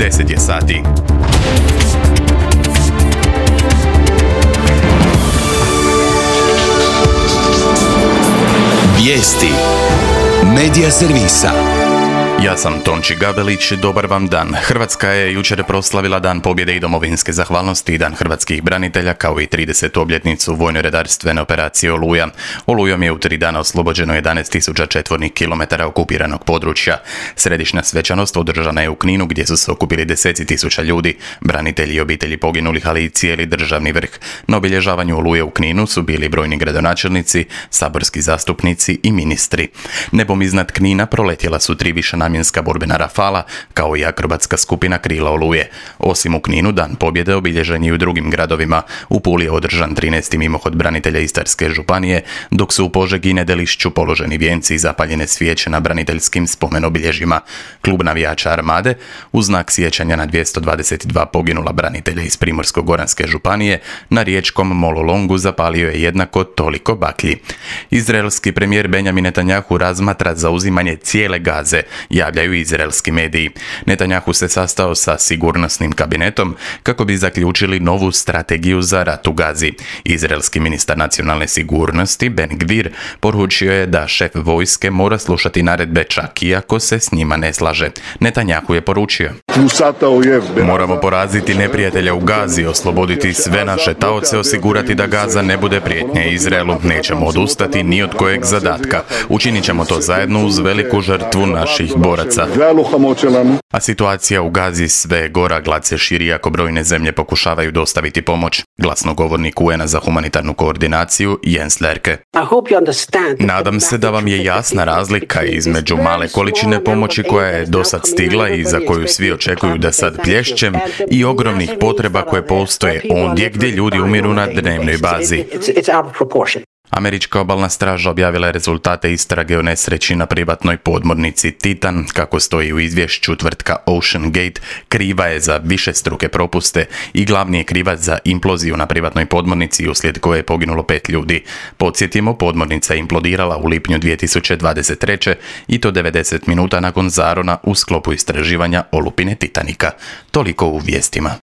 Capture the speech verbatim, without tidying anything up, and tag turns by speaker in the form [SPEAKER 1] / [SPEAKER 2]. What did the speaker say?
[SPEAKER 1] deset je sati.
[SPEAKER 2] Vijesti Medija servisa.
[SPEAKER 1] Ja sam Tonči Gabelić, dobar vam dan. Hrvatska je jučer proslavila Dan pobjede i domovinske zahvalnosti i Dan hrvatskih branitelja, kao i tridesetu obljetnicu vojno-redarstvene operacije Oluja. Olujom je u tri dana oslobođeno jedanaest tisuća četvornih kilometara okupiranog područja. Središnja svečanost održana je u Kninu, gdje su se okupili deseci tisuća ljudi, branitelji i obitelji poginulih, ali i cijeli državni vrh. Na obilježavanju Oluje u Kninu su bili brojni gradonačelnici, saborski zastupnici i ministri. Nebom iznad Knina proletjela su tri višenamjenska borbena Rafala, kao i akrobatska skupina Krila Oluje. Osim u Kninu, Dan pobjede obilježen je i u drugim gradovima. U Puli je održan trinaesti mimohod branitelja Istarske županije, dok su u Požegi i Nedelišću položeni vijenci i zapaljene svijeće na braniteljskim spomenobilježjima. Klub navijača Armade, u znak sjećanja na dvjesto dvadeset dva poginula branitelja iz Primorsko-goranske županije, na riječkom Mololongu zapalio je jednako toliko baklji. Izraelski premijer Benjamin Netanjahu razmatra zauzimanje cijele Gaze, javljaju izraelski mediji. Netanjahu se sastao sa sigurnosnim kabinetom kako bi zaključili novu strategiju za rat u Gazi. Izraelski ministar nacionalne sigurnosti Ben Gvir poručio je da šef vojske mora slušati naredbe čak i ako se s njima ne slaže. Netanjahu je poručio: moramo poraziti neprijatelja u Gazi, osloboditi sve naše taoce, osigurati da Gaza ne bude prijetnja Izraelu. Nećemo odustati ni od kojeg zadatka. Učinit ćemo to zajedno uz veliku žrtvu naših boraca. A situacija u Gazi sve gora, glad se širi ako brojne zemlje pokušavaju dostaviti pomoć. Glasnogovornik U N A za humanitarnu koordinaciju Jens Lerke: nadam se da vam je jasna razlika između male količine pomoći koja je dosad stigla i za koju svi očekuju da sad plješćem, i ogromnih potreba koje postoje ondje gdje ljudi umiru na dnevnoj bazi. Američka obalna straža objavila je rezultate istrage o nesreći na privatnoj podmornici Titan. Kako stoji u izvješću, tvrtka Ocean Gate kriva je za višestruke propuste i glavni je krivac za imploziju na privatnoj podmornici, uslijed koje je poginulo pet ljudi. Podsjetimo, podmornica je implodirala u lipnju dvije tisuće dvadeset treće i to devedeset minuta nakon zarona u sklopu istraživanja olupine Titanika. Toliko u vijestima.